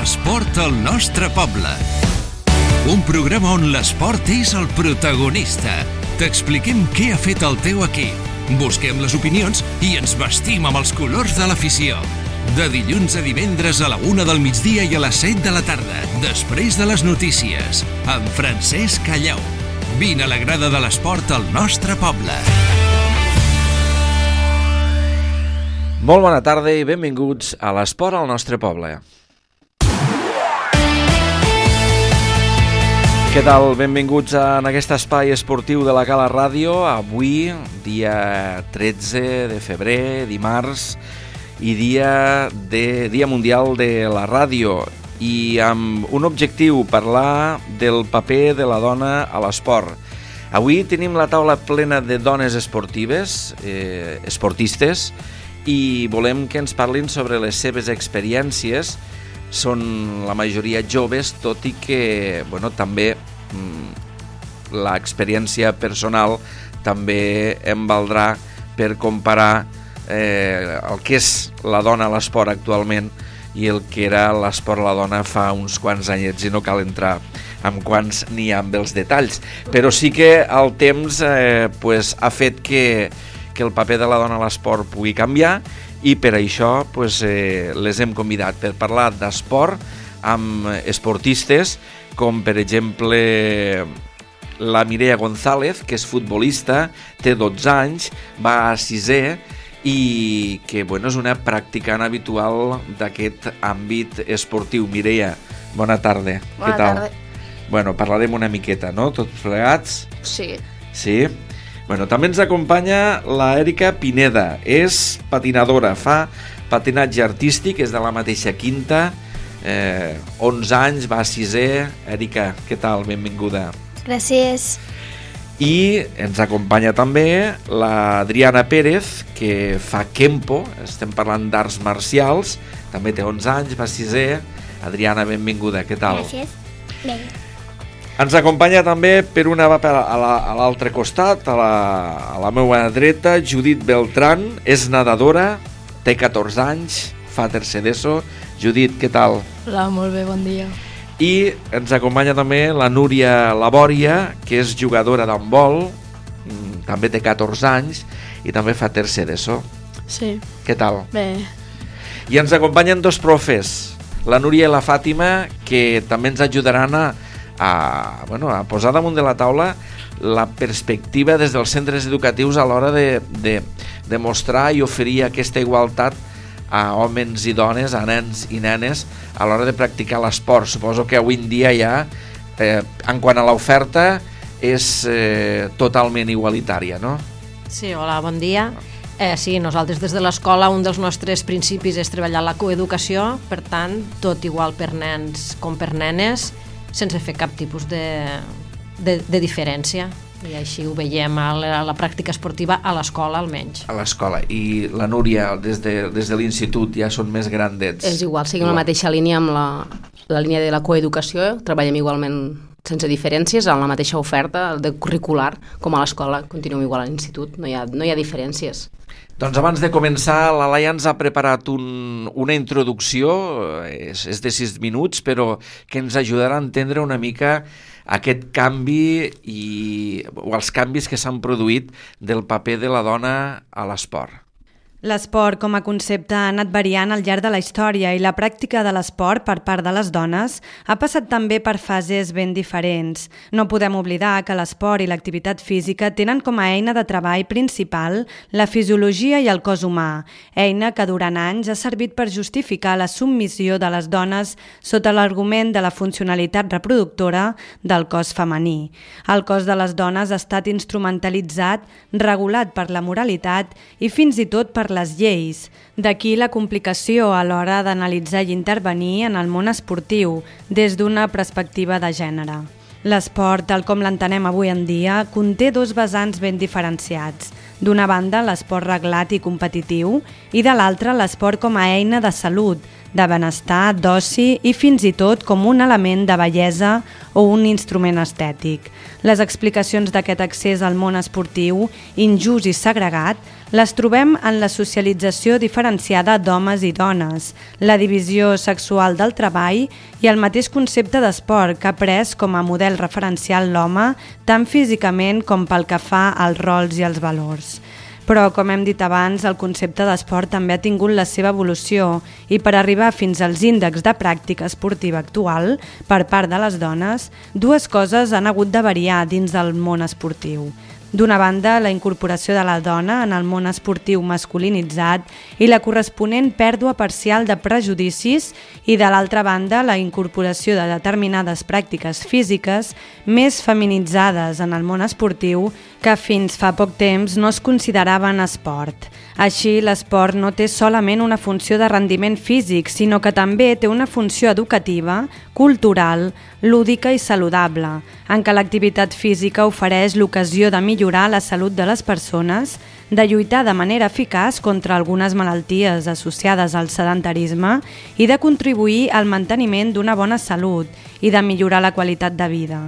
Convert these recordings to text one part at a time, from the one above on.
L'esport al nostre poble. Un programa on l'esport és el protagonista. T'expliquem què ha fet el teu equip. Busquem les opinions i ens vestim amb els colors de l'afició. De dilluns a divendres a la 1 del migdia i a les 7 de la tarda, després de les notícies, amb Francesc Callau. Vine a la grada de l'esport al nostre poble. Molt bona tarda i benvinguts a l'esport al nostre poble. Què tal? Benvinguts en aquest espai esportiu de la Cala Ràdio. Avui, dia 13 de febrer, dimarts, i dia mundial de la ràdio. I amb un objectiu, parlar del paper de la dona a l'esport. Avui tenim la taula plena de dones esportives, esportistes, i volem que ens parlin sobre les seves experiències. Són la majoria joves, tot i que també l'experiència personal també em valdrà per comparar el que és la dona a l'esport actualment i el que era l'esport a la dona fa uns quants anyets, i no cal entrar amb quants ni amb els detalls, però sí que el temps ha fet que el paper de la dona a l'esport pugui canviar, i per això les hem convidat per parlar d'esport amb esportistes com per exemple la Mireia González, que és futbolista, té 12 anys, va a 6è i que és una practicant habitual d'aquest àmbit esportiu. Mireia, bona tarda. Bona tarda. Parlarem una miqueta, no? Tots plegats? Sí. Sí? També ens acompanya la Èrica Pineda, és patinadora, fa patinatge artístic, és de la mateixa quinta, 11 anys, va a 6è. Èrica, què tal? Benvinguda. Gràcies. I ens acompanya també l'Adriana Pérez, que fa Kempo, estem parlant d'arts marcials, també té 11 anys, va a 6è. Adriana, benvinguda, què tal? Gràcies. Bé. Ens acompanya també, per una va a l'altre costat, a la meva dreta, Judit Beltrán, és nedadora, té 14 anys, fa tercer d'ESO. Judit, què tal? Hola, molt bé, bon dia. I ens acompanya també la Núria Labòria, que és jugadora d'handbol, també té 14 anys i també fa tercer d'ESO. Sí. Què tal? Bé. I ens acompanyen dos profes, la Núria i la Fàtima, que també ens ajudaran a posar damunt de la taula la perspectiva des dels centres educatius a l'hora de mostrar i oferir aquesta igualtat a homes i dones, a nens i nenes a l'hora de practicar l'esport. Suposo que avui en dia ja, en quant a l'oferta, és totalment igualitària, no? Sí, hola, bon dia. Sí, nosaltres des de l'escola un dels nostres principis és treballar la coeducació, per tant, tot igual per nens com per nenes, sense fer cap tipus de diferència. I així ho veiem a la pràctica esportiva a l'escola, almenys. A l'escola. I la Núria, des de l'institut, ja són més grandets. És igual, seguim la mateixa línia amb la línia de la coeducació, treballem igualment sense diferències, amb la mateixa oferta de curricular, com a l'escola, continuem igual a l'institut, no hi ha diferències. Doncs abans de començar, la Laia ens ha preparat una introducció, és de 6 minuts, però que ens ajudarà a entendre una mica aquest canvi o els canvis que s'han produït del paper de la dona a l'esport. L'esport com a concepte ha anat variant al llarg de la història i la pràctica de l'esport per part de les dones ha passat també per fases ben diferents. No podem oblidar que l'esport i l'activitat física tenen com a eina de treball principal la fisiologia i el cos humà, eina que durant anys ha servit per justificar la submissió de les dones sota l'argument de la funcionalitat reproductora del cos femení. El cos de les dones ha estat instrumentalitzat, regulat per la moralitat i fins i tot per les lleis. D'aquí la complicació a l'hora d'analitzar i intervenir en el món esportiu des d'una perspectiva de gènere. L'esport, tal com l'entenem avui en dia, conté dos vessants ben diferenciats. D'una banda, l'esport reglat i competitiu, i de l'altra, l'esport com a eina de salut, de benestar, d'oci i fins i tot com un element de bellesa o un instrument estètic. Les explicacions d'aquest accés al món esportiu, injust i segregat, les trobem en la socialització diferenciada d'homes i dones, la divisió sexual del treball i el mateix concepte d'esport que ha pres com a model referencial l'home, tant físicament com pel que fa als rols i als valors. Però, com hem dit abans, el concepte d'esport també ha tingut la seva evolució i per arribar fins als índexs de pràctica esportiva actual per part de les dones, dues coses han hagut de variar dins del món esportiu. D'una banda, la incorporació de la dona en el món esportiu masculinitzat i la corresponent pèrdua parcial de prejudicis i, de l'altra banda, la incorporació de determinades pràctiques físiques més feminitzades en el món esportiu que fins fa poc temps no es consideraven esport. Així, l'esport no té solament una funció de rendiment físic, sinó que també té una funció educativa, cultural, lúdica i saludable, en què l'activitat física ofereix l'ocasió de millorar la salut de les persones, de lluitar de manera eficaç contra algunes malalties associades al sedentarisme i de contribuir al manteniment d'una bona salut i de millorar la qualitat de vida.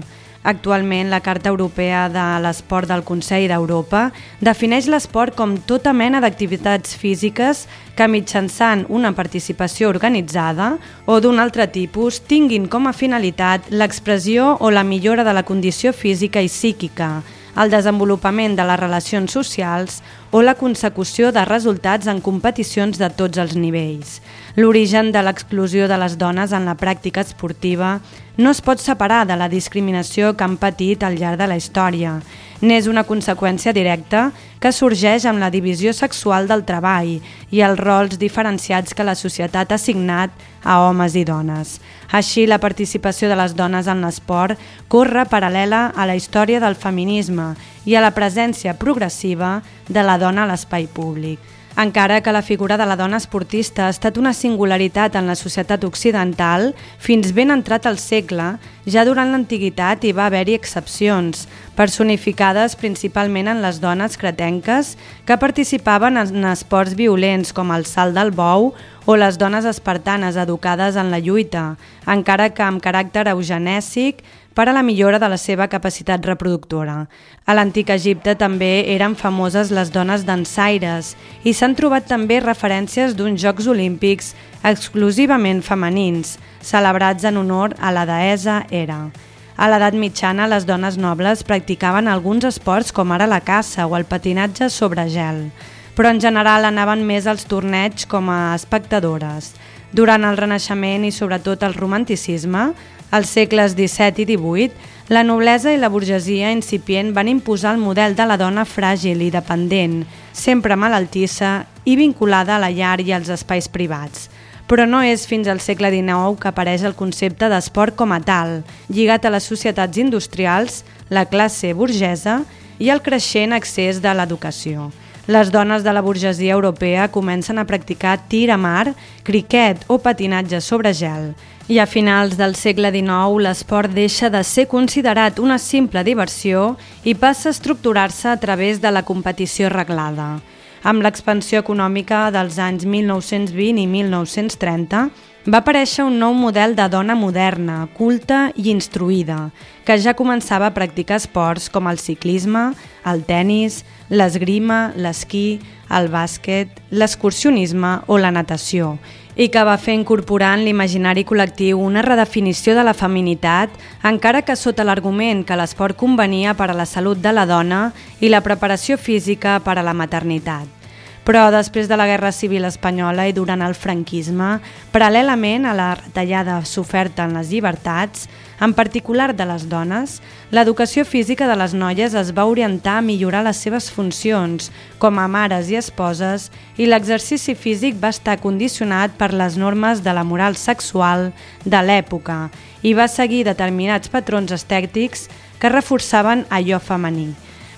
Actualment, la Carta Europea de l'Esport del Consell d'Europa defineix l'esport com tota mena d'activitats físiques que mitjançant una participació organitzada o d'un altre tipus tinguin com a finalitat l'expressió o la millora de la condició física i psíquica, el desenvolupament de les relacions socials o la consecució de resultats en competicions de tots els nivells. L'origen de l'exclusió de les dones en la pràctica esportiva no es pot separar de la discriminació que han patit al llarg de la història. N'és una conseqüència directa que sorgeix amb la divisió sexual del treball i els rols diferenciats que la societat ha assignat a homes i dones. Així, la participació de les dones en l'esport corre paral·lela a la història del feminisme i a la presència progressiva de la dona a l'espai públic. Encara que la figura de la dona esportista ha estat una singularitat en la societat occidental, fins ben entrat al segle, ja durant l'antiguitat hi va haver-hi excepcions, personificades principalment en les dones cretenques que participaven en esports violents com el salt del bou o les dones espartanes educades en la lluita, encara que amb caràcter eugenèsic per a la millora de la seva capacitat reproductora. A l'antic Egipte també eren famoses les dones dansaires i s'han trobat també referències d'uns Jocs Olímpics exclusivament femenins, celebrats en honor a la deessa Hera. A l'edat mitjana, les dones nobles practicaven alguns esports com ara la caça o el patinatge sobre gel, però en general anaven més als torneigs com a espectadores. Durant el Renaixement i sobretot el Romanticisme, als segles XVII i XVIII, la noblesa i la burgesia incipient van imposar el model de la dona fràgil i dependent, sempre malaltissa i vinculada a la llar i als espais privats. Però no és fins al segle XIX que apareix el concepte d'esport com a tal, lligat a les societats industrials, la classe burgesa i el creixent accés de l'educació. Les dones de la burgesia europea comencen a practicar tir a mar, criquet o patinatge sobre gel. I a finals del segle XIX l'esport deixa de ser considerat una simple diversió i passa a estructurar-se a través de la competició reglada. Amb l'expansió econòmica dels anys 1920 i 1930, va aparèixer un nou model de dona moderna, culta i instruïda, que ja començava a practicar esports com el ciclisme, el tennis, l'esgrima, l'esquí, el bàsquet, l'excursionisme o la natació, i que va fer incorporar en l'imaginari col·lectiu una redefinició de la feminitat, encara que sota l'argument que l'esport convenia per a la salut de la dona i la preparació física per a la maternitat. Però després de la Guerra Civil Espanyola i durant el franquisme, paral·lelament a la retallada soferta en les llibertats, en particular de les dones, l'educació física de les noies es va orientar a millorar les seves funcions com a mares i esposes i l'exercici físic va estar condicionat per les normes de la moral sexual de l'època i va seguir determinats patrons estètics que reforçaven allò femení.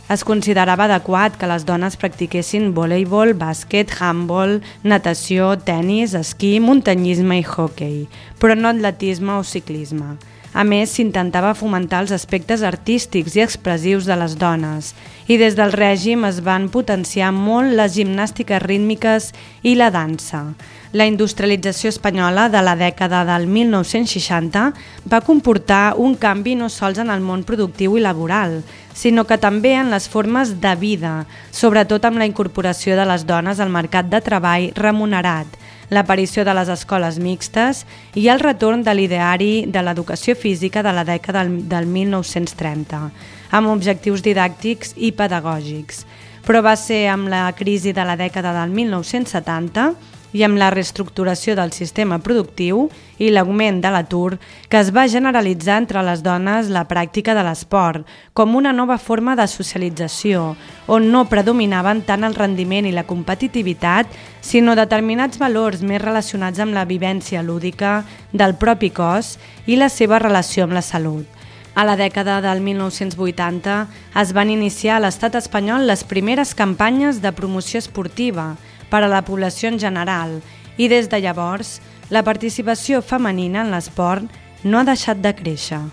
Es considerava adequat que les dones practiquessin voleibol, bàsquet, handbol, natació, tennis, esquí, muntanyisme i hoquei, però no atletisme o ciclisme. A més, s'intentava fomentar els aspectes artístics i expressius de les dones i des del règim es van potenciar molt les gimnàstiques rítmiques i la dansa. La industrialització espanyola de la dècada del 1960 va comportar un canvi no sols en el món productiu i laboral, sinó que també en les formes de vida, sobretot amb la incorporació de les dones al mercat de treball remunerat, l'aparició de les escoles mixtes i el retorn de l'ideari de l'educació física de la dècada del 1930, amb objectius didàctics i pedagògics. Però va ser amb la crisi de la dècada del 1970 i amb la reestructuració del sistema productiu i l'augment de l'atur que es va generalitzar entre les dones la pràctica de l'esport com una nova forma de socialització on no predominaven tant el rendiment i la competitivitat sinó determinats valors més relacionats amb la vivència lúdica del propi cos i la seva relació amb la salut. A la dècada del 1980 es van iniciar a l'estat espanyol les primeres campanyes de promoció esportiva per a la població en general i des de llavors la participació femenina en l'esport no ha deixat de créixer.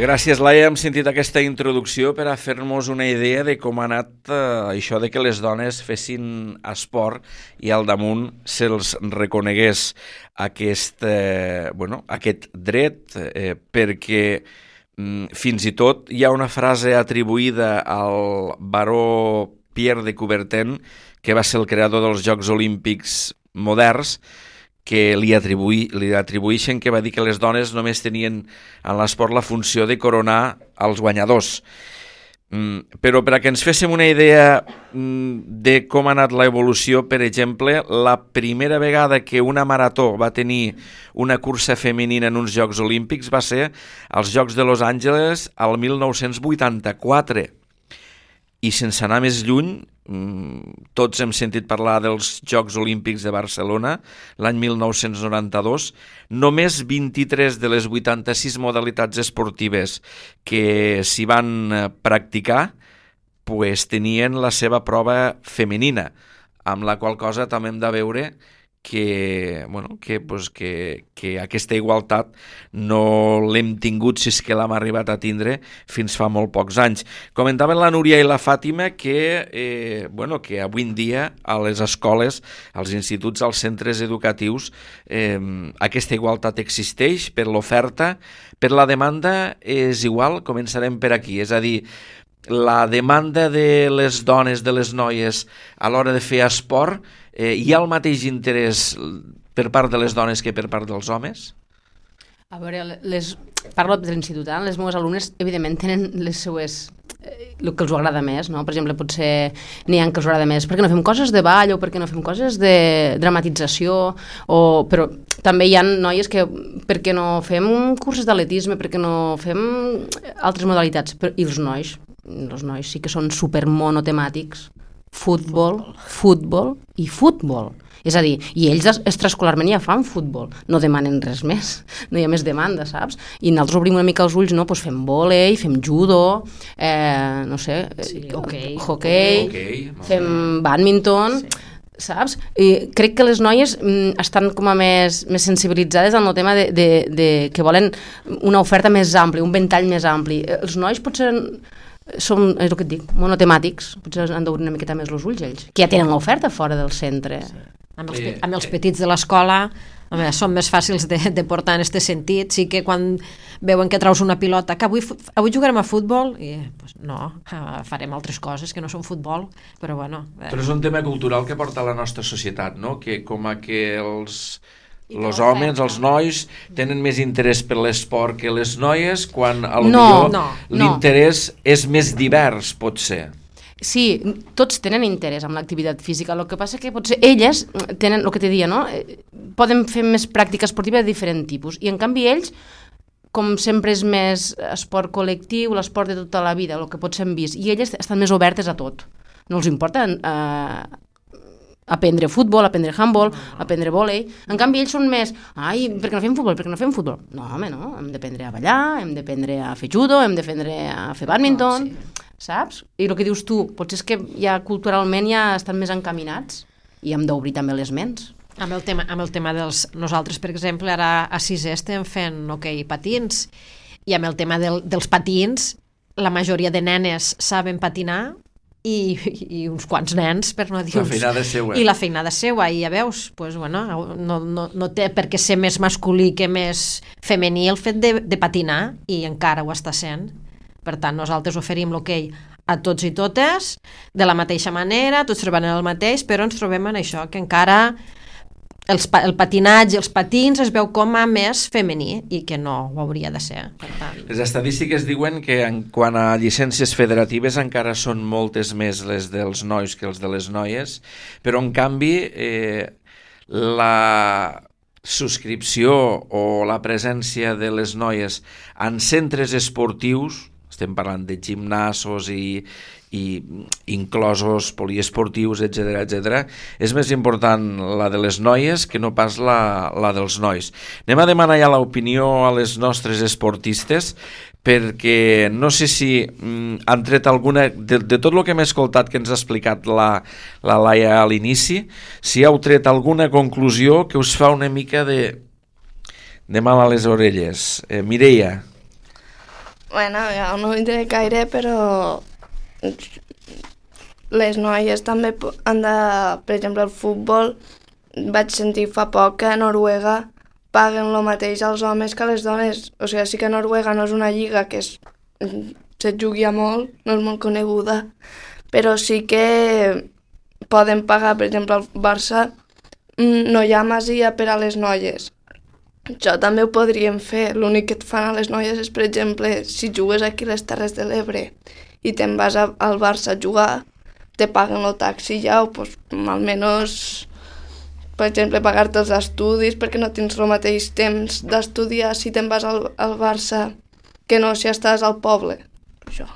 Gràcies, Laia. Hem sentit aquesta introducció per a fer-nos una idea de com ha anat això de que les dones fessin esport i al damunt se'ls reconegués aquest dret perquè fins i tot hi ha una frase atribuïda al baró Pierre de Coubertin, que va ser el creador dels Jocs Olímpics moderns, que li atribueixen que va dir que les dones només tenien en l'esport la funció de coronar els guanyadors. Però per a que ens féssim una idea de com ha anat l'evolució, per exemple, la primera vegada que una marató va tenir una cursa femenina en uns Jocs Olímpics va ser als Jocs de Los Angeles al 1984. I sense anar més lluny, tots hem sentit parlar dels Jocs Olímpics de Barcelona l'any 1992. Només 23 de les 86 modalitats esportives que s'hi van practicar tenien la seva prova femenina, amb la qual cosa també hem de veure que aquesta igualtat no l'hem tingut, si és que l'hem arribat a tindre, fins fa molt pocs anys. Comentaven la Núria i la Fàtima que avui en dia a les escoles, als instituts, als centres educatius, aquesta igualtat existeix per l'oferta, per la demanda és igual. Començarem per aquí, és a dir, la demanda de les dones, de les noies a l'hora de fer esport, hi ha el mateix interès per part de les dones que per part dels homes? A veure, parlo de l'institut, les meves alumnes evidentment tenen les seues el que els agrada més, no? Per exemple, potser n'hi ha que els agrada més perquè no fem coses de ball o perquè no fem coses de dramatització, però també hi ha noies que perquè no fem curses d'atletisme, perquè no fem altres modalitats, i els nois sí que són supermonotemàtics, futbol i futbol. És a dir, i ells extraescolarment ja fan futbol, no demanen res més, no hi ha més demanda, saps? I nosaltres obrim una mica els ulls, no? Pues fem vòlei, fem judo, no sé, hoquei, fem bàdminton, saps? I crec que les noies estan com a més sensibilitzades en el tema de que volen una oferta més àmplia, un ventall més ampli. Els nois potser són, és el que et dic, monotemàtics, potser han d'obrir una miqueta més els ulls ells, que ja tenen l'oferta fora del centre. Sí. Amb els petits de l'escola són més fàcils de portar en aquest sentit. Sí que quan veuen que traus una pilota, que avui jugarem a futbol, i no, farem altres coses que no són futbol, però bueno. Però és un tema cultural que porta la nostra societat, no? Que com a que els homes, els nois, tenen més interès per l'esport que les noies, quan potser l'interès és més divers, pot ser. Sí, tots tenen interès en l'activitat física, el que passa que potser elles tenen, el que te deia, no? Poden fer més pràctica esportiva de diferent tipus, i en canvi ells, com sempre és més esport col·lectiu, l'esport de tota la vida, el que potser hem vist, i elles estan més obertes a tot. No els importa aprendre futbol, aprendre handball, aprendre vòlei. En canvi ells són més, per què no fem futbol, per què no fem futbol? No, home, no, hem d'aprendre a ballar, hem d'aprendre a fer judo, hem d'aprendre a fer bàdminton, saps? I el que dius tu, potser és que ja culturalment ja estan més encaminats i hem d'obrir també les ments. Amb el tema dels... Nosaltres, per exemple, ara a 6è estem fent hoquei patins, i amb el tema dels patins, la majoria de nenes saben patinar i uns quants nens, per no dir la feinada seua. I la feinada seua, i ja veus, pues, bueno, no té per què ser més masculí que més femení el fet de patinar, i encara ho està sent. Per tant, nosaltres oferim l'hoquei a tots i totes, de la mateixa manera, tots treballen el mateix, però ens trobem en això, que encara el patinatge, els patins es veu com a més femení, i que no ho hauria de ser. Per tant... Les estadístiques diuen que en quant a llicències federatives encara són moltes més les dels nois que els de les noies, però en canvi la subscripció o la presència de les noies en centres esportius, estem parlant de gimnasos i inclosos poliesportius, etc., és més important la de les noies que no pas la dels nois. Anem a demanar ja l'opinió a les nostres esportistes, perquè no sé si han tret alguna, de tot el que hem escoltat que ens ha explicat la Laia a l'inici, si heu tret alguna conclusió que us fa una mica de mal a les orelles. Mireia. Bueno, jo no ho diré gaire, però les noies també han de... Per exemple, el futbol, vaig sentir fa poc que a Noruega paguen el mateix als homes que a les dones. O sigui, sí que Noruega no és una lliga que se jugui a molt, no és molt coneguda, però sí que poden pagar, per exemple, al Barça no hi ha masia per a les noies. Això també ho podríem fer. L'únic que et fan a les noies és, per exemple, si jugues aquí a les Terres de l'Ebre i te'n vas al Barça a jugar, te paguen el taxi ja, o pues, almenys, per exemple, pagar-te els estudis, perquè no tens el mateix temps d'estudiar si te'n vas al Barça que no si estàs al poble. Això.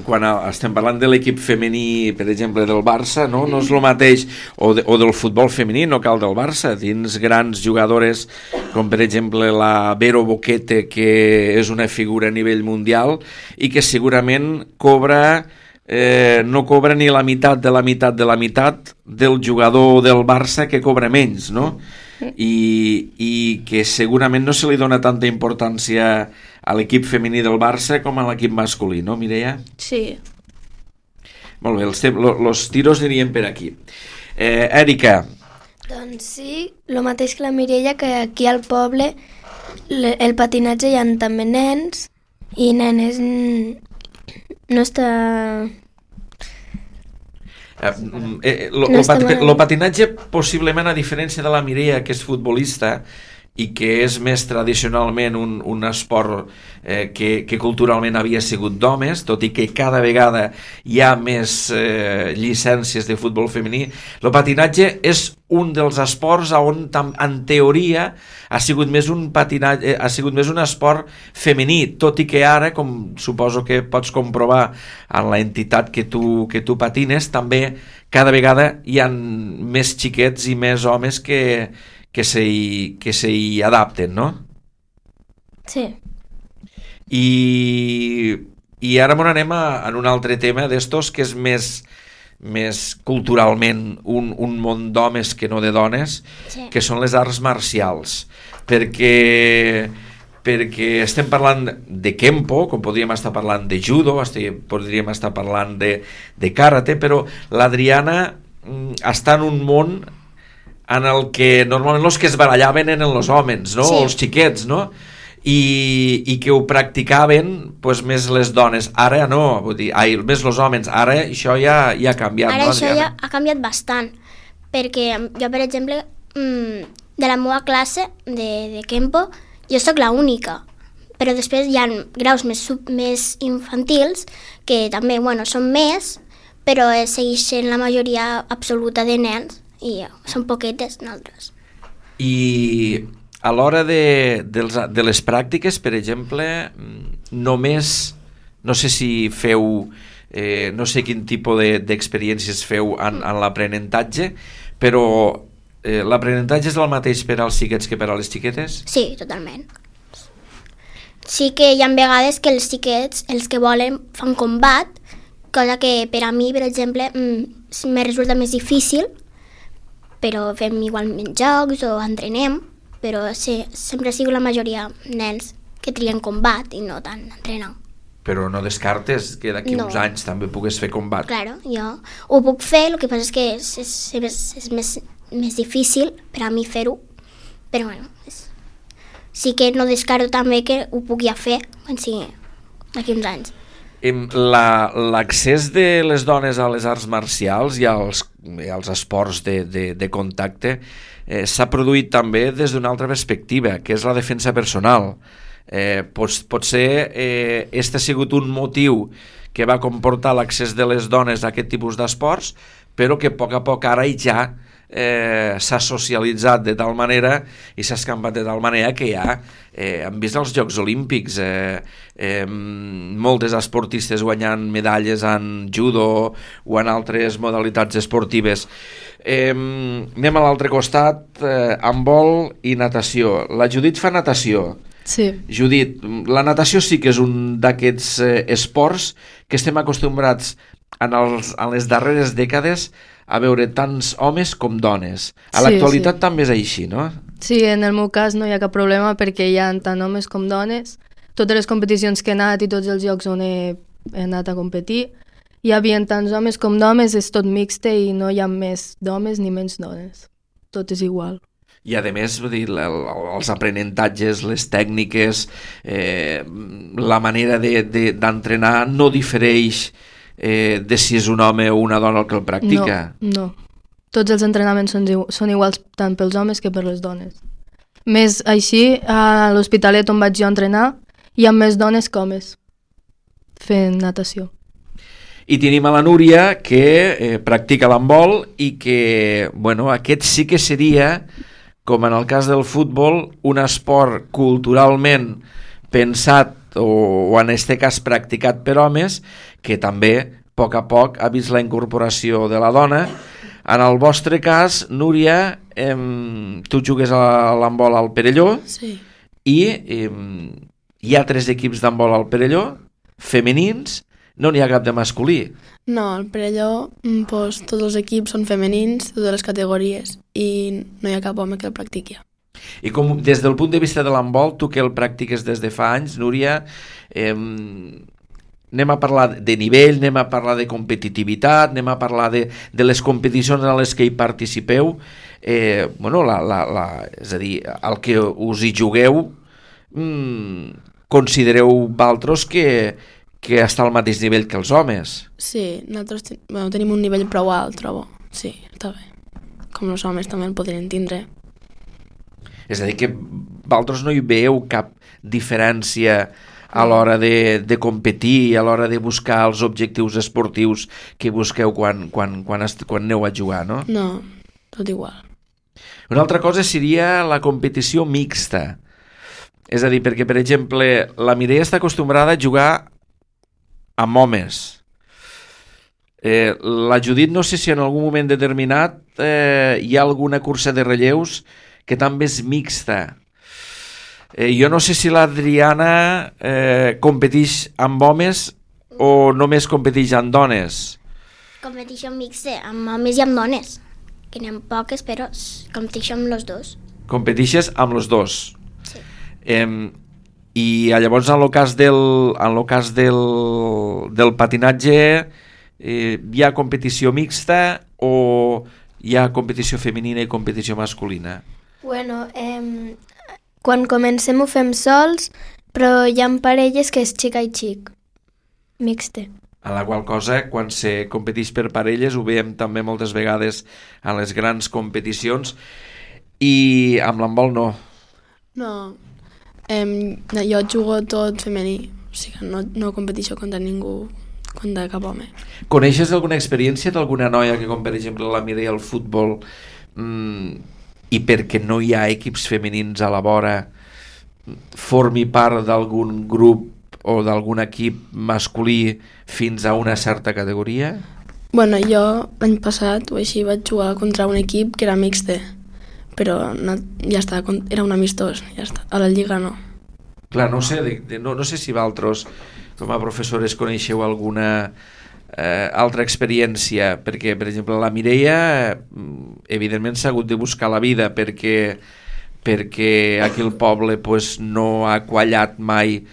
Quan estem parlant de l'equip femení, per exemple, del Barça, no és el mateix, o del futbol femení, no cal del Barça, dins grans jugadores com per exemple la Vero Boquete, que és una figura a nivell mundial i que segurament no cobra ni la meitat del jugador del Barça que cobra menys, no? I que segurament no se li dona tanta importància a l'equip femení del Barça com a l'equip masculí, no, Mireia? Sí. Molt bé, els tiros anirien per aquí. Èrica. Doncs sí, el mateix que la Mireia, que aquí al poble el patinatge hi ha també nens i nenes, no està... El patinatge, possiblement, a diferència de la Mireia, que és futbolista i que és més tradicionalment un esport que culturalment havia sigut d'homes, tot i que cada vegada hi ha més llicències de futbol femení, el patinatge és un dels esports on, en teoria, ha sigut més un esport femení, tot i que ara, com suposo que pots comprovar en la entitat que tu patines, també cada vegada hi ha més xiquets i més homes que s'hi adapten, no? Sí. I ara anem a un altre tema d'estos que és més culturalment un món d'homes que no de dones, Sí. que són les arts marcials, perquè estem parlant de kempo, com podríem estar parlant de judo, podríem estar parlant de karate, però l'Adriana està en un món en el que normalment els que es barallaven eren els homes, no? Sí. Els xiquets, no? I que ho practicaven pues, més les dones. Ara no, vull dir, més els homes. Ara això ja ha canviat. Ara no, això Adriana? ja ha canviat bastant, perquè jo, per exemple, de la meva classe de Kempo, jo sóc la única, però després hi ha graus més infantils que també, bueno, són més, però segueixen la majoria absoluta de nens i són poquetes nosaltres. I a l'hora de les pràctiques, per exemple, només, no sé si feu, no sé quin tipus d'experiències feu en l'aprenentatge, però l'aprenentatge és el mateix per als xiquets que per a les xiquetes? Sí, totalment. Sí que hi ha vegades que els xiquets, els que volen, fan combat, cosa que per a mi, per exemple, me resulta més difícil, però fem igualment jocs o entrenem, però sí, sempre ha sigut la majoria nens que trien combat i no tant entrenar. Però no descartes que d'aquí uns anys també pugues fer combat? Claro, jo ho puc fer, el que passa és que és més difícil per a mi fer-ho, però bueno, sí que no descarto també que ho puc ja fer quan sigui d'aquí uns anys. L'accés de les dones a les arts marcials i als esports de contacte s'ha produït també des d'una altra perspectiva, que és la defensa personal. Potser este ha sigut un motiu que va comportar l'accés de les dones a aquest tipus d'esports, però que a poc ara ja s'ha socialitzat de tal manera i s'ha escampat de tal manera que ja hem vist els Jocs Olímpics moltes esportistes guanyant medalles en judo o en altres modalitats esportives. Anem a l'altre costat, handbol i natació. La Judit fa natació. Sí. Judit, la natació sí que és un d'aquests esports que estem acostumbrats en les darreres dècades a veure tants homes com dones. A l'actualitat també és així, no? Sí, en el meu cas no hi ha cap problema perquè hi ha tant homes com dones. Totes les competicions que he anat i tots els llocs on he anat a competir hi havia tants homes com dones, és tot mixte i no hi ha més d'homes ni menys dones. Tot és igual. I a més, vull dir, els aprenentatges, les tècniques, la manera d'entrenar no difereix de si és un home o una dona el que el practica. No. Tots els entrenaments són iguals tant pels homes que per les dones. Més així, a l'Hospitalet on vaig jo entrenar, hi ha més dones que homes fent natació. I tenim a la Núria que practica l'handbol i que, bueno, aquest sí que seria, com en el cas del futbol, un esport culturalment pensat o en este cas practicat per homes, que també a poc ha vist la incorporació de la dona. En el vostre cas, Núria, tu jugues a l'handbol al Perelló. Sí. I hi ha 3 equips d'handbol al Perelló, femenins, no n'hi ha cap de masculí. No, al Perelló doncs, tots els equips són femenins, totes les categories, i no hi ha cap home que el practiqui. I com, des del punt de vista de l'handbol, tu que el practiques des de fa anys, Núria, anem a parlar de nivell, anem a parlar de competitivitat, anem a parlar de les competicions en les que hi participeu, bueno, és a dir, el que us hi jugueu, considereu vosaltres que està al mateix nivell que els homes? Sí, nosaltres tenim un nivell prou alt, trobo. Sí, està bé. Com els homes també el podrien tindre. És a dir, que vosaltres no hi veieu cap diferència a l'hora de competir i a l'hora de buscar els objectius esportius que busqueu quan aneu a jugar, no? No, tot igual. Una altra cosa seria la competició mixta. És a dir, perquè, per exemple, la Mireia està acostumbrada a jugar amb homes. La Judit, no sé si en algun moment determinat hi ha alguna cursa de relleus que també és mixta. Jo no sé si l'Adriana competeix amb homes o només competeix amb dones. Competeixo mixta, amb homes i amb dones, que n'hi ha poques, però competeixo amb els dos. Competeixes amb els dos. Sí. I llavors en el cas del patinatge hi ha competició mixta o hi ha competició femenina i competició masculina? Bueno, quan comencem ho fem sols, però hi ha parelles que és xica i xic, mixte. A la qual cosa, quan se competeix per parelles, ho veiem també moltes vegades a les grans competicions, i amb l'handbol no. No, jo jugo tot femení, o sigui, no competeixo contra ningú, contra cap home. Coneixes alguna experiència d'alguna noia que, com per exemple la Mireia al futbol, i perquè no hi ha equips femenins a la vora, formi part d'algun grup o d'algun equip masculí fins a una certa categoria? Bueno, jo l'any passat o així vaig jugar contra un equip que era mixte, però no, ja està, era un amistós, ja està. A la lliga no. Clar, no sé si vosaltres com a professores coneixeu alguna altra experiència? Perquè, per exemple, la Mireia evidentment s'ha hagut de buscar la vida perquè aquí al poble pues, no ha quallat mai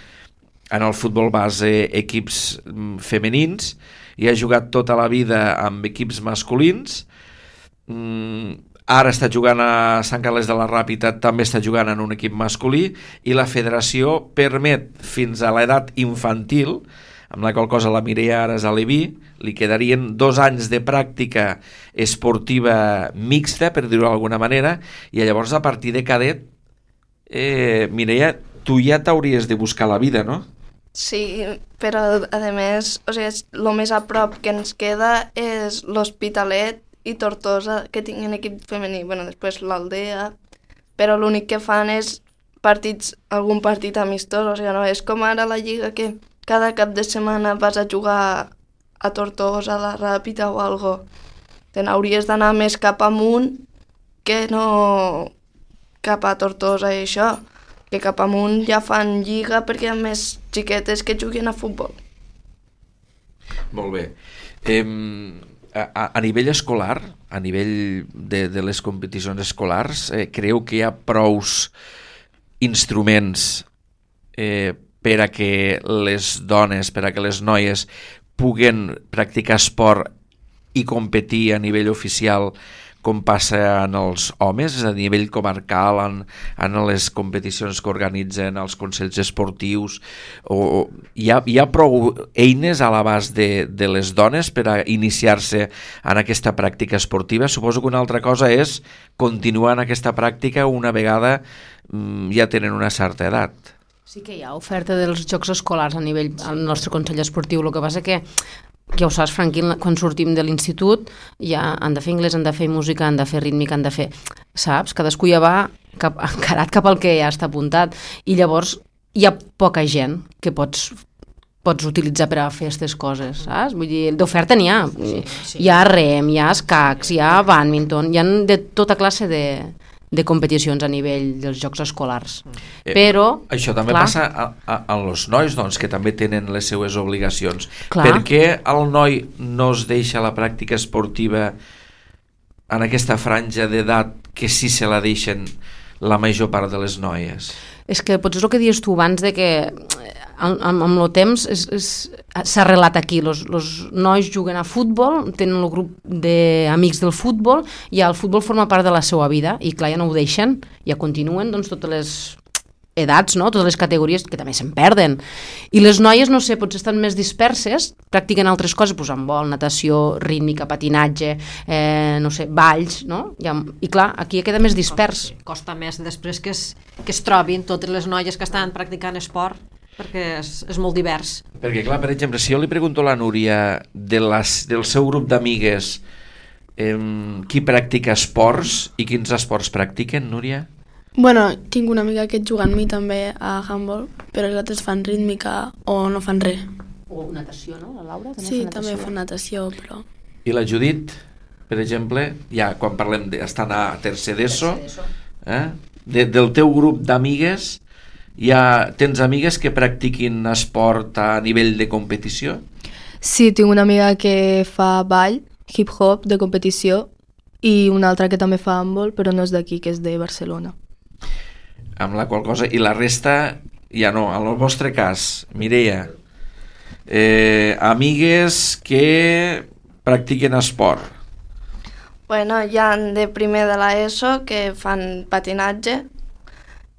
en el futbol base equips femenins i ha jugat tota la vida amb equips masculins. Ara està jugant a Sant Carles de la Ràpita, també està jugant en un equip masculí, i la federació permet fins a l'edat infantil, amb la qual cosa la Mireia ara és a l'Eví, li quedarien 2 anys de pràctica esportiva mixta, per dir-ho d'alguna manera, i llavors a partir de cadet, Mireia, tu ja t'hauries de buscar la vida, no? Sí, però a més, o sigui, el més a prop que ens queda és l'Hospitalet i Tortosa, que tinguin equip femení, bueno, després l'Aldea, però l'únic que fan és algun partit amistós, o sigui, no és com ara la Lliga que cada cap de setmana vas a jugar a Tortosa, a la Ràpita o algo. Te n'hauries d'anar més cap amunt que no cap a Tortosa i això, que cap amunt ja fan lliga perquè hi ha més xiquetes que juguen a futbol. Molt bé. A nivell escolar, a nivell de les competicions escolars, creu que hi ha prous instruments per a que les dones, per a que les noies puguen practicar esport i competir a nivell oficial com passa en els homes, a nivell comarcal, en les competicions que organitzen els consells esportius? Hi ha prou eines a l'abast de les dones per a iniciar-se en aquesta pràctica esportiva? Suposo que una altra cosa és continuar en aquesta pràctica una vegada ja tenen una certa edat. Sí que hi ha oferta dels jocs escolars a nivell al nostre consell esportiu, el que passa que ja ho saps, Franquín, quan sortim de l'institut ja han de fer anglès, han de fer música, han de fer rítmica, han de fer... Saps? Cadascú ja va encarat cap al que ja està apuntat i llavors hi ha poca gent que pots utilitzar per a fer aquestes coses, saps? Vull dir, d'oferta n'hi ha. Sí. Hi ha rem, hi ha escacs, hi ha badminton, hi ha de tota classe de competicions a nivell dels jocs escolars. Però... Això també passa a els nois, doncs, que també tenen les seues obligacions. Clar. Per què el noi no es deixa la pràctica esportiva en aquesta franja d'edat que sí se la deixen la major part de les noies? És que potser és el que dius tu abans de que amb el temps s'ha arrelat aquí, els nois juguen a futbol, tenen el grup d'amics del futbol i el futbol forma part de la seva vida i clar, ja no ho deixen, ja continuen doncs, totes les edats, no? Totes les categories que també se'n perden. I les noies, no sé, potser estan més disperses, practiquen altres coses, doncs handbol, natació, rítmica, patinatge, no sé, balls, no? I clar, aquí queda més dispers. Costa més després que es trobin totes les noies que estan practicant esport, perquè és molt divers. Perquè clar, per exemple, si jo li pregunto a la Núria del seu grup d'amigues qui practica esports i quins esports practiquen, Núria? Bueno, tinc una amiga que juga amb mi també a handball, però els altres fan rítmica o no fan res. O natació, no? La Laura també sí, fa natació. també fa natació, però... I la Judit, per exemple, ja quan parlem estan a tercer d'ESO, del teu grup d'amigues, ja tens amigues que practiquin esport a nivell de competició? Sí, tinc una amiga que fa ball, hip-hop de competició, i una altra que també fa handball, però no és d'aquí, que és de Barcelona. Amb la qual cosa, i la resta ja no, en el vostre cas, Mireia, amigues que practiquen esport? Bueno, hi ha de primer de l'ESO que fan patinatge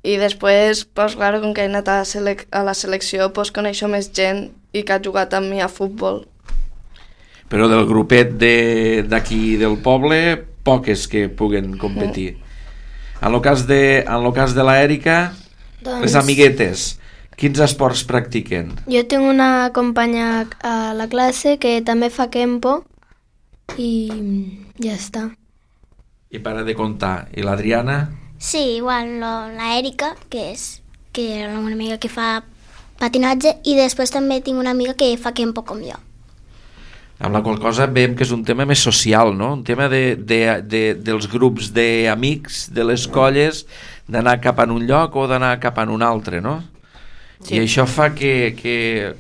i després, pues, claro, com que he anat a la selecció, pues, coneixo més gent i que ha jugat amb mi a futbol. Però del grupet d'aquí del poble, poques que puguen competir. En el cas de l'Èrica, doncs... les amiguetes, quins esports practiquen? Jo tinc una companya a la classe que també fa kempo i ja està. I para de comptar. I l'Adriana? Sí, igual, l'Èrica, que era una amiga que fa patinatge, i després també tinc una amiga que fa kempo com jo. Amb la qual cosa veiem que és un tema més social, no? Un tema dels grups d'amics, de les colles, d'anar cap en un lloc o d'anar cap en un altre, no? Sí. I això fa que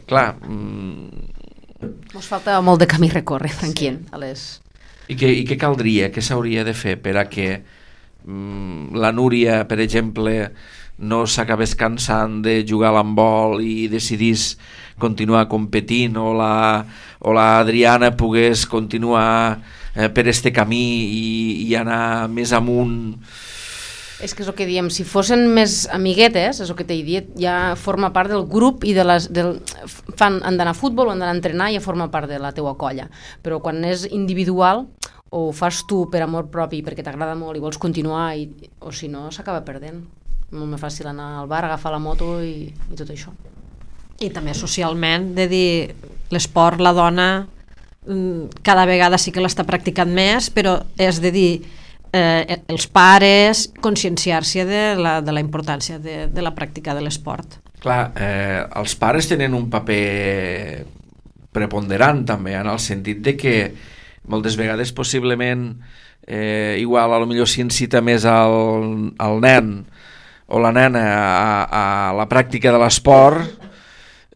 clar, Ens falta molt de camí a recórrer, tranquil. I què caldria, què s'hauria de fer per a que la Núria, per exemple, no s'acabés cansant de jugar a l'handbol i decidís continuar competint, o la Adriana pogués continuar per este camí i anar més amunt? És que és el que diem, si fossin més amiguetes, és el que t'he dit, ja forma part del grup i han d'anar a futbol o han d'anar a entrenar, ja forma part de la teua colla. Però quan és individual, o ho fas tu per amor propi, perquè t'agrada molt i vols continuar, o si no, s'acaba perdent. Molt més fàcil anar al bar, agafar la moto i tot això. I també socialment, de dir, l'esport, la dona, cada vegada sí que l'està practicant més, però és de dir, els pares conscienciar-se de la importància de la pràctica de l'esport. Clar, els pares tenen un paper preponderant també, en el sentit de que moltes vegades possiblement igual a lo millor s'incita més al nen o la nena a la pràctica de l'esport,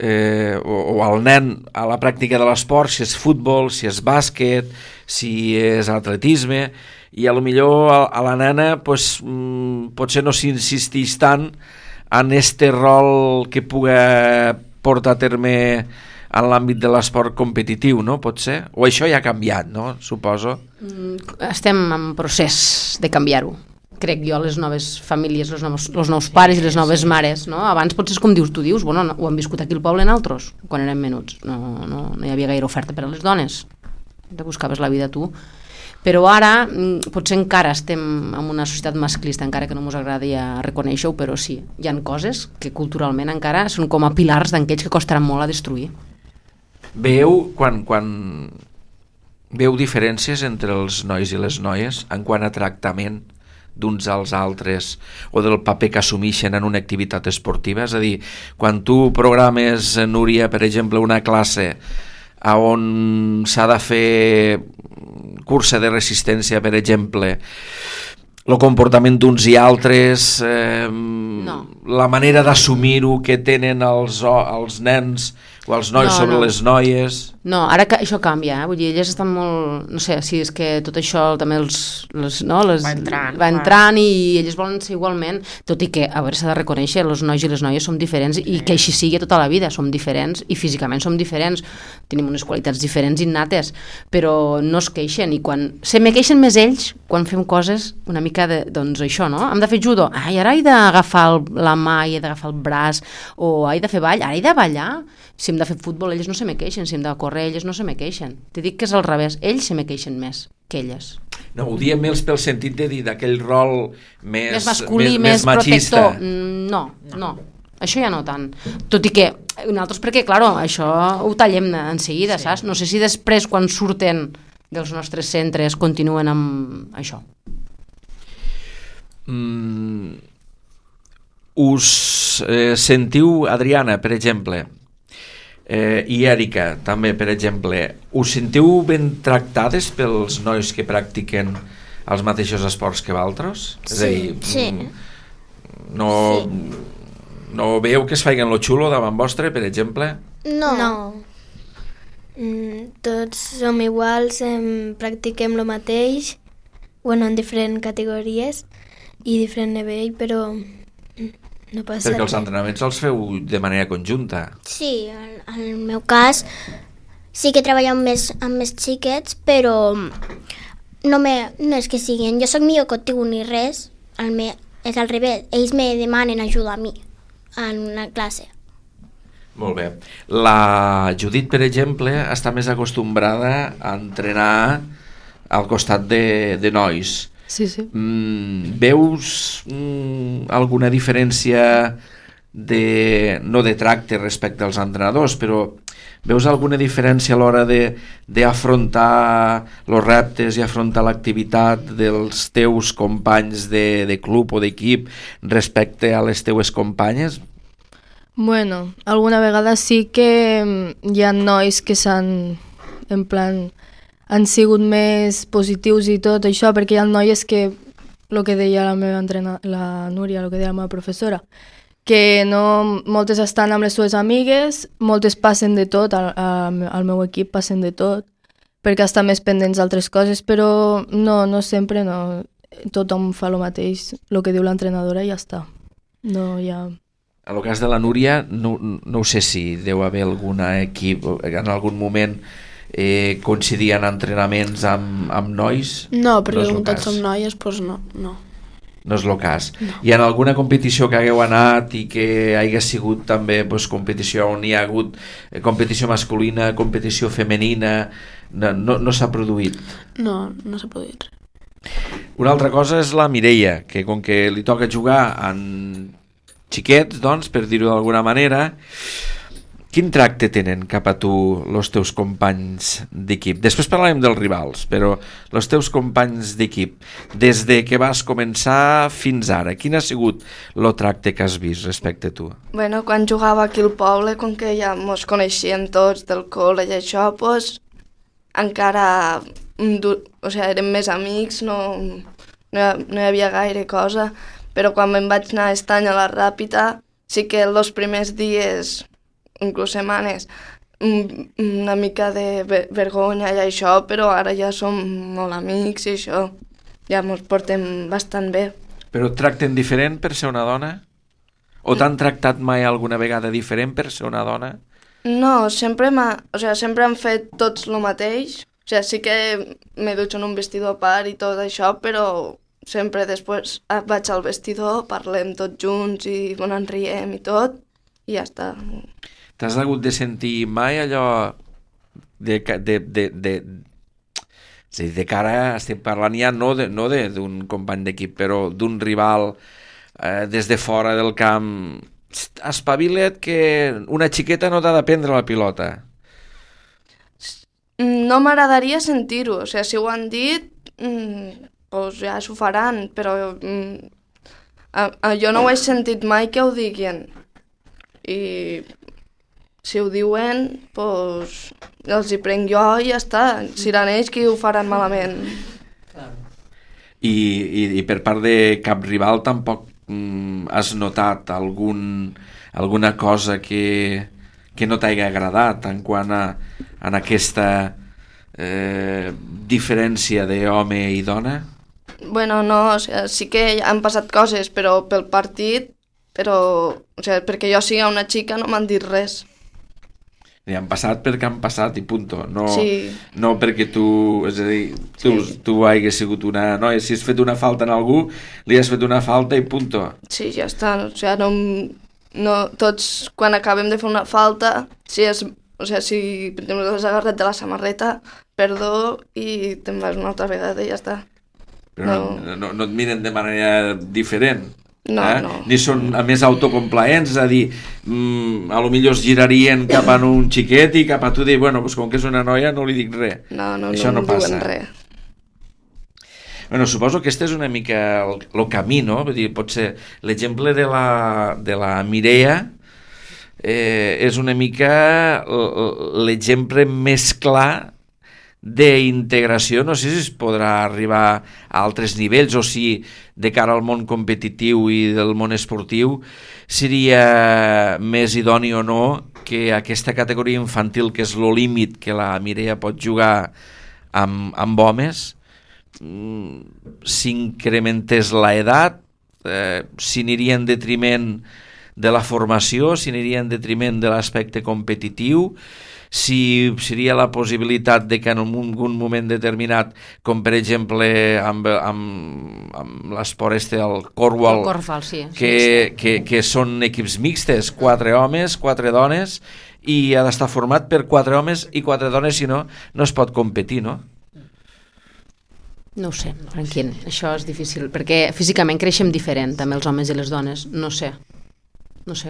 o al nen a la pràctica de l'esport, si és futbol, si és bàsquet, si és atletisme, i a lo millor a la nena potser no s'insisteix tant en este rol que puga portar a terme en l'àmbit de l'esport competitiu, no? Pot ser? O això ja ha canviat, no? Suposo. Estem en procés de canviar-ho. Crec jo, les noves famílies, els nous pares i les noves mares, no? Abans potser com tu dius, bueno, ho hem viscut aquí al poble nosaltres, quan érem menuts. No hi havia gaire oferta per a les dones. Te buscaves la vida tu. Però ara potser encara estem en una societat masclista, encara que no ens agradi reconèixer-ho, però sí, hi ha coses que culturalment encara són com a pilars d'aquells que costaran molt a destruir. Quan veu diferències entre els nois i les noies en quant a tractament d'uns als altres o del paper que assumeixen en una activitat esportiva? És a dir, quan tu programes, Núria, per exemple, una classe on s'ha de fer cursa de resistència, per exemple, el comportament d'uns i altres, la manera d'assumir-ho que tenen els nens o els nois sobre les noies... No, ara que això canvia, vull dir, elles estan molt... No sé, si és que tot això també va entrant i elles volen ser igualment, tot i que, a veure, s'ha de reconèixer, els nois i les noies som diferents i que així sigui tota la vida, som diferents i físicament som diferents, tenim unes qualitats diferents innates, però no es queixen, i quan se me queixen més ells quan fem coses una mica de, doncs això, no? Hem de fer judo, ara he d'agafar la mà i he d'agafar el braç, o he de fer ball, ara he de ballar. Si hem de fer futbol, ells no se me queixen, si hem de córrer, ells no se me queixen. Te dic que és al revés, ells se me queixen més que elles. No, ho diem més pel sentit de dir d'aquell rol més masculí, més machista. Protector. No. Això ja no tant. Tot i que nosaltres, perquè, clar, això ho tallem en seguida, sí. Saps? No sé si després, quan surten dels nostres centres, continuen amb això. Us sentiu, Adriana, per exemple, i Èrica també, per exemple, us sentiu ben tractades pels nois que practiquen els mateixos esports que vosaltres? Sí, és a dir, sí. No veieu que es feien lo xulo davant vostre, per exemple? No. Tots som iguals, practiquem el mateix, bueno, en diferents categories i diferent nivell, però no passa perquè els entrenaments els feu de manera conjunta. Sí, en el meu cas sí que treballem amb més xiquets, però no és que siguin, jo soc millor que tu ni res, és al revés, ells me demanen ajuda a mi en una classe. Molt bé. La Judit, per exemple, està més acostumbrada a entrenar al costat de nois. Sí. Veus alguna diferència no de tracte respecte als entrenadors, però veus alguna diferència a l'hora d'afrontar els reptes i afrontar l'activitat dels teus companys de club o d'equip respecte a les teues companyes? Bueno, alguna vegada sí que hi ha nois que han sigut més positius i tot això, perquè hi ha noies que, el que deia la Núria, el que deia la meva professora, que no, moltes estan amb les seves amigues, moltes passen de tot, al meu equip passen de tot, perquè estan més pendents d'altres coses, però no sempre, no. Tothom fa el mateix, el que diu l'entrenadora i ja està. No hi ha... En el cas de la Núria, no ho sé si deu haver algun equip, en algun moment coincidien entrenaments amb nois? No, perquè no com tots som noies, doncs no. No és el cas. No. I en alguna competició que hagueu anat i que hagi sigut també competició on hi ha hagut competició masculina, competició femenina, no s'ha produït? No s'ha produït res. Una altra cosa és la Mireia, que com que li toca jugar en xiquets, doncs, per dir-ho d'alguna manera, quin tracte tenen cap a tu els teus companys d'equip? Després parlarem dels rivals, però els teus companys d'equip, des de que vas començar fins ara, quin ha sigut el tracte que has vist respecte a tu? Bueno, quan jugava aquí al poble, com que ja ens coneixíem tots del col·le i això, doncs encara érem més amics, no hi havia gaire cosa, però quan me'n vaig anar aquest any a la Ràpita, sí que els primers dies, inclús setmanes, una mica de vergonya i això, però ara ja som molt amics i això, ja ens portem bastant bé. Però et tracten diferent per ser una dona? O t'han tractat mai alguna vegada diferent per ser una dona? No, sempre han fet tots el mateix. Sí que me dutxo en un vestidor a part i tot això, però sempre després vaig al vestidor, parlem tots junts i ens riem i tot, i ja està. T'has hagut de sentir mai allò de cara, estem parlant ja no d'un company d'equip, però d'un rival des de fora del camp, espavila't que una xiqueta no t'ha de prendre la pilota? No m'agradaria sentir-ho, si ho han dit, doncs ja s'ho faran, però jo no ho he sentit mai que ho diguin. I si ho diuen, doncs els hi prenc jo i ja està. Seran ells qui ho faran malament. I per part de cap rival tampoc has notat alguna cosa que no t'hagi agradat en quant a aquesta diferència d'home i dona? Bueno, no, sí que han passat coses, però pel partit, perquè jo sigui una xica no m'han dit res. I han passat perquè han passat i punto, no perquè tu, és a dir, tu hagués sigut una noia, si has fet una falta en algú, li has fet una falta i punto. Sí, ja està, tots quan acabem de fer una falta, si per exemple has agarrat de la samarreta, perdó, i te'n vas una altra vegada i ja està. Però no et miren de manera diferent? No. Ni són a més autocomplaents, és a dir, a lo millor es girarien cap a un xiquet i cap a tu dir, bueno, doncs com que és una noia no li dic res. No passa. Diuen res. Bueno, suposo que este és una mica el camí, no? Vull dir, potser l'exemple de la Mireia és una mica l'exemple més clar d'integració. No sé si es podrà arribar a altres nivells o si de cara al món competitiu i del món esportiu seria més idoni o no que aquesta categoria infantil, que és el límit que la Mireia pot jugar amb homes, s'incrementés l'edat, si aniria en detriment de la formació, si aniria en detriment de l'aspecte competitiu, si seria la possibilitat de que en un moment determinat, com per exemple amb l'esport el Cornwall, que són equips mixtes, 4 homes, 4 dones, i ha d'estar format per 4 homes i 4 dones, si no, no es pot competir, no? No ho sé, tranquil, això és difícil, perquè físicament creixem diferent, també els homes i les dones, no sé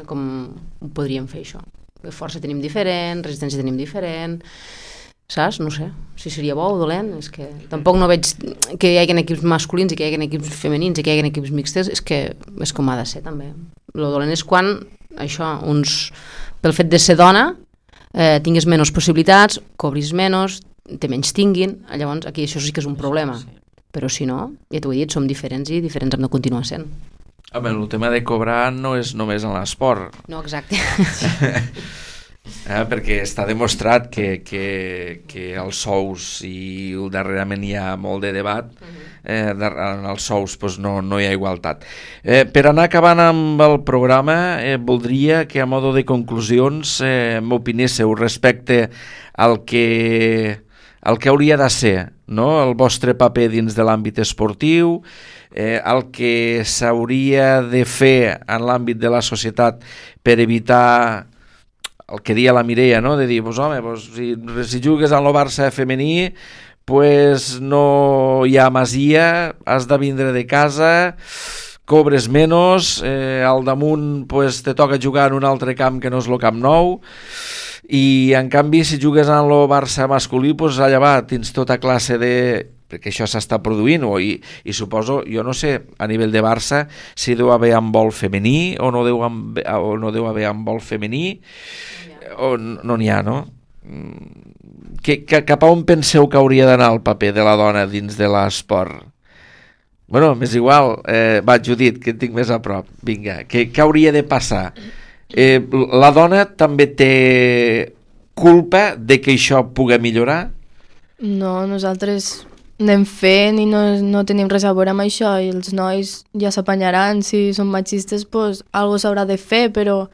com ho podríem fer això. Força tenim diferent, resistència tenim diferent, saps? No sé, si seria bo o dolent, és que tampoc no veig que hi hagi equips masculins i que hi hagi equips femenins i que hi hagi equips mixtes, és que és com ha de ser també. El dolent és quan això, pel fet de ser dona, tinguis menys possibilitats, cobris menys, te menys tinguin, llavors aquí això sí que és un problema, però si no, ja t'ho he dit, som diferents i diferents hem de continuar sent. Home, el tema de cobrar no és només en l'esport. No, exacte. Perquè està demostrat que els sous, i darrerament hi ha molt de debat, en els sous no hi ha igualtat. Per anar acabant amb el programa, voldria que a modo de conclusions m'opinéssiu respecte al que hauria de ser, no?, el vostre paper dins de l'àmbit esportiu, el que s'hauria de fer en l'àmbit de la societat per evitar el que deia la Mireia, no?, de dir, si jugues en el Barça femení, no hi ha masia, has de vindre de casa, cobres menys, al damunt te toca jugar en un altre camp que no és el Camp Nou, i en canvi si jugues en el Barça masculí, allà va, tens tota classe de... perquè això s'està produint, i suposo, jo no sé, a nivell de Barça, si deu haver handbol femení o no deu haver handbol femení, o no n'hi ha, no? Cap a on penseu que hauria d'anar el paper de la dona dins de l'esport? Bueno, m'és igual, va, Judit, que et tinc més a prop, vinga, què hauria de passar? La dona també té culpa de que això pugui millorar? No, nosaltres anem fent i no tenim res a veure amb això, i els nois ja s'apanyaran. Si són machistes, algo s'haurà de fer, però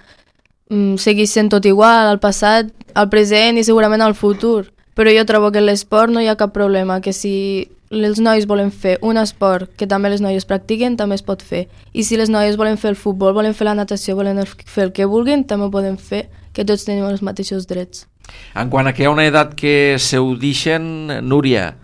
segueix sent tot igual, al passat, al present i segurament al futur. Però jo trobo que en l'esport no hi ha cap problema, que si els nois volen fer un esport que també les noies practiquen, també es pot fer. I si les noies volen fer el futbol, volen fer la natació, volen fer el que vulguin, també ho poden fer, que tots tenim els mateixos drets. En quant a que hi ha una edat que se ho deixen, Núria,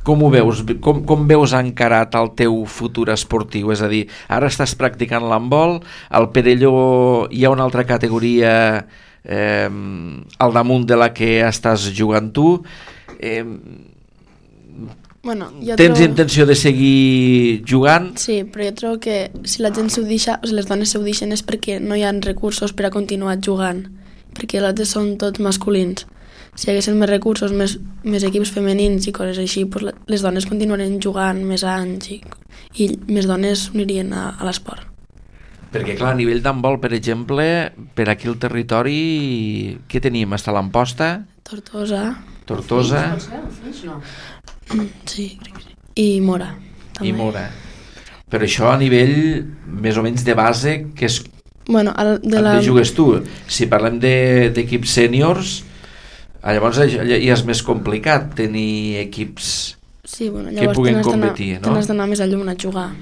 com ho veus? Com veus encarat el teu futur esportiu? És a dir, ara estàs practicant l'handbol, al Perelló hi ha una altra categoria al damunt de la que estàs jugant tu. Tens intenció de seguir jugant? Sí, però jo trobo que si la gent s'ho deixa, les dones s'ho deixen és perquè no hi ha recursos per a continuar jugant, perquè els altres són tots masculins. Si hi haguessin més recursos, més equips femenins i coses així, les dones continuarien jugant més anys i més dones s'unirien a l'esport. Perquè, clar, a nivell d'handbol, per exemple, per aquí al territori, què tenim? Està l'Amposta? Tortosa. No. Sí, crec que sí. I Mora. També. I Mora. Però això a nivell més o menys de base, que és... Bueno, de jugues tu. Si parlem d'equips sèniors, llavors ja és més complicat tenir equips que puguin competir, no? Tens d'anar més a llum a jugar.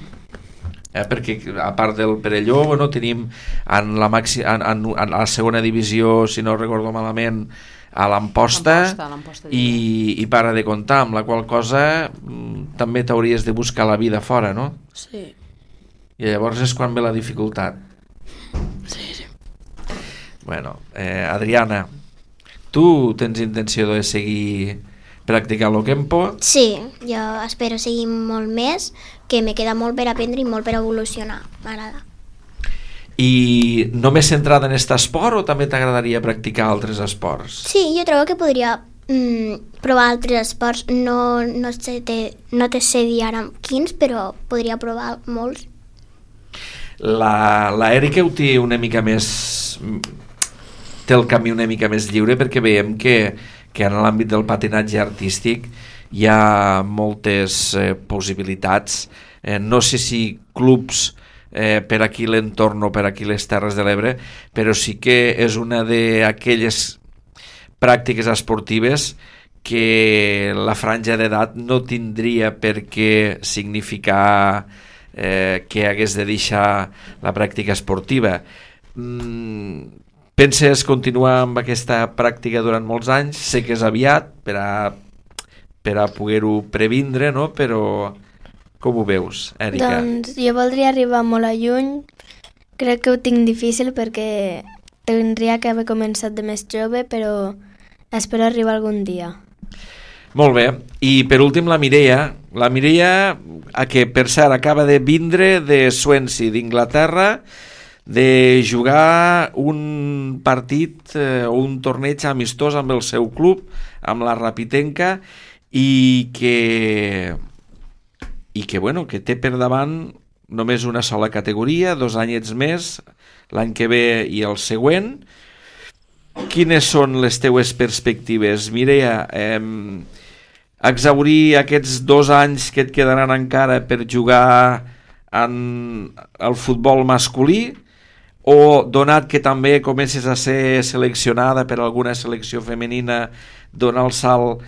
Perquè a part del Perelló, tenim en la segona divisió, si no recordo malament, a l'Amposta i para de comptar, amb la qual cosa també t'hauries de buscar la vida fora, no? Sí. I llavors és quan ve la dificultat. Sí. Bueno, Adriana, tu tens intenció de seguir practicant el Kempo? Sí, jo espero seguir molt més, que me queda molt per aprendre i molt per evolucionar, m'agrada. I només centrada en aquest esport o també t'agradaria practicar altres esports? Sí, jo trobo que podria provar altres esports, no te sé dir ara quins, però podria provar molts. La Erika ho té una mica més... té el camí una mica més lliure, perquè veiem que en l'àmbit del patinatge artístic hi ha moltes possibilitats. No sé si clubs per aquí l'entorn o per aquí les Terres de l'Ebre, però sí que és una d'aquelles pràctiques esportives que la franja d'edat no tindria per què significar que hagués de deixar la pràctica esportiva. Penses continuar amb aquesta pràctica durant molts anys? Sé que és aviat per a poder-ho previndre, no? Però com ho veus, Erika? Doncs jo voldria arribar molt a lluny. Crec que ho tinc difícil perquè tindria que haver començat de més jove, però espero arribar algun dia. Molt bé. I per últim la Mireia, que per cert acaba de vindre de Swansea, d'Inglaterra, de jugar un partit o un torneig amistós amb el seu club, amb la Rapitenca, i que té per davant només una sola categoria, 2 anyets més, l'any que ve i el següent. Quines són les teues perspectives, Mireia? Exhaurir aquests 2 anys que et quedaran encara per jugar al futbol masculí, o donat que també comences a ser seleccionada per alguna selecció femenina, donar el salt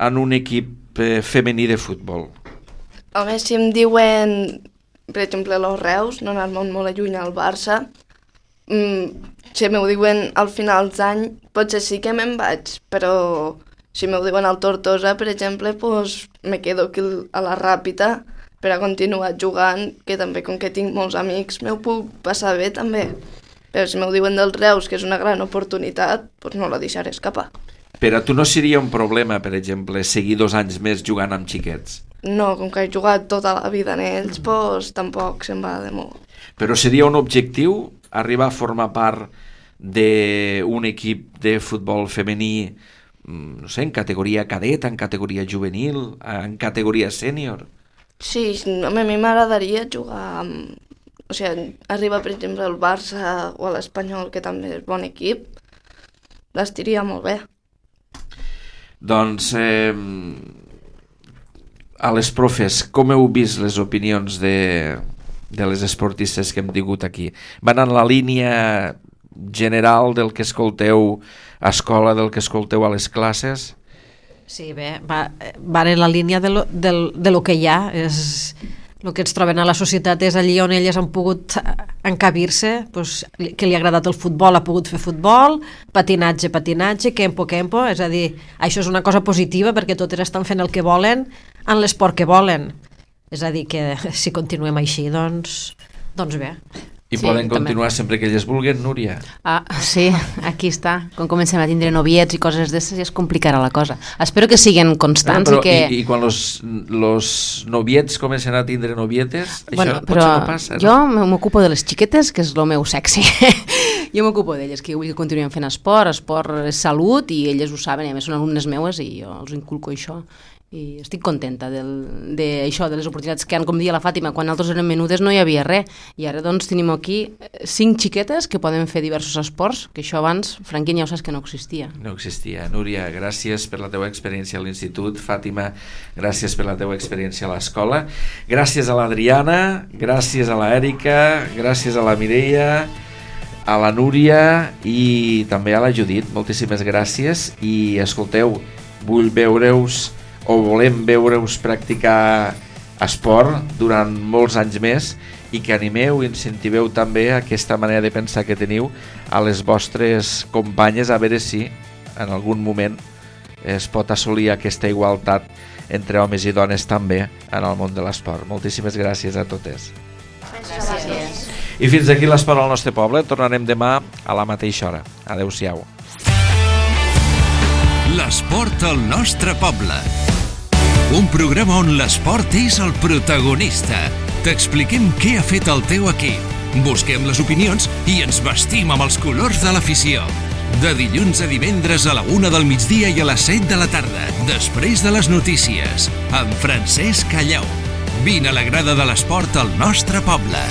en un equip femení de futbol? A més, si em diuen, per exemple, los Reus, no anar-me'n molt lluny al Barça, si m'ho diuen al final d'any, potser sí que me'n vaig, però si m'ho diuen al Tortosa, per exemple, pues, me quedo aquí a la Ràpita per a continuar jugant, que també, com que tinc molts amics, m'ho puc passar bé també. Però si m'ho diuen dels Reus, que és una gran oportunitat, pues no la deixaré escapar. Per a tu no seria un problema, per exemple, seguir 2 anys més jugant amb xiquets? No, com que he jugat tota la vida en ells, pues tampoc se'n va de molt. Però seria un objectiu arribar a formar part d'un equip de futbol femení, no sé, en categoria cadet, en categoria juvenil, en categoria sènior? Sí, a mi m'agradaria jugar amb... O sigui, arriba, per exemple, al Barça o a l'Espanyol, que també és bon equip, l'estiria molt bé. Doncs, a les profes, com heu vist les opinions de les esportistes que hem tingut aquí? Van en la línia general del que escolteu a escola, del que escolteu a les classes? Sí, bé, van en la línia de lo que hi ha. El que ens troben a la societat és allí on elles han pogut encabir-se, doncs, que li ha agradat el futbol, ha pogut fer futbol, patinatge, kempo, és a dir, això és una cosa positiva perquè totes estan fent el que volen en l'esport que volen. És a dir, que si continuem així, doncs bé. I sí, poden continuar també sempre que elles vulguen, Núria? Sí, aquí està. Quan comencem a tindre noviets i coses d'aquestes ja es complicarà la cosa. Espero que siguin constants. I quan los noviets comencen a tindre novietes, això potser no passa, no? Jo m'ocupo de les xiquetes, que és el meu sexy. Jo m'ocupo d'elles, que vull que continuïn fent esport és salut, i elles ho saben, i a més són alumnes meues i jo els inculco això. I estic contenta d'això, de les oportunitats que han, com dia la Fàtima, quan nosaltres érem menudes no hi havia res, i ara doncs tenim aquí 5 xiquetes que poden fer diversos esports, que això abans, Franquín, ja ho saps que no existia. No existia. Núria, gràcies per la teva experiència a l'institut. Fàtima, gràcies per la teva experiència a l'escola. Gràcies a l'Adriana, gràcies a l'Èrica, gràcies a la Mireia, a la Núria i també a la Judit. Moltíssimes gràcies i escolteu, vull veure-us o volem veure-us practicar esport durant molts anys més i que animeu i incentiveu també aquesta manera de pensar que teniu a les vostres companyes, a veure si en algun moment es pot assolir aquesta igualtat entre homes i dones també en el món de l'esport. Moltíssimes gràcies a totes. Gràcies. I fins aquí l'esport al nostre poble. Tornarem demà a la mateixa hora. Adéu-siau. L'esport al nostre poble. Un programa on l'esport és el protagonista. T'expliquem què ha fet el teu equip. Busquem les opinions i ens vestim amb els colors de l'afició. De dilluns a divendres a la 1 del migdia i a les 7 de la tarda, després de les notícies, amb Francesc Callau. Vine a la grada de l'esport al nostre poble.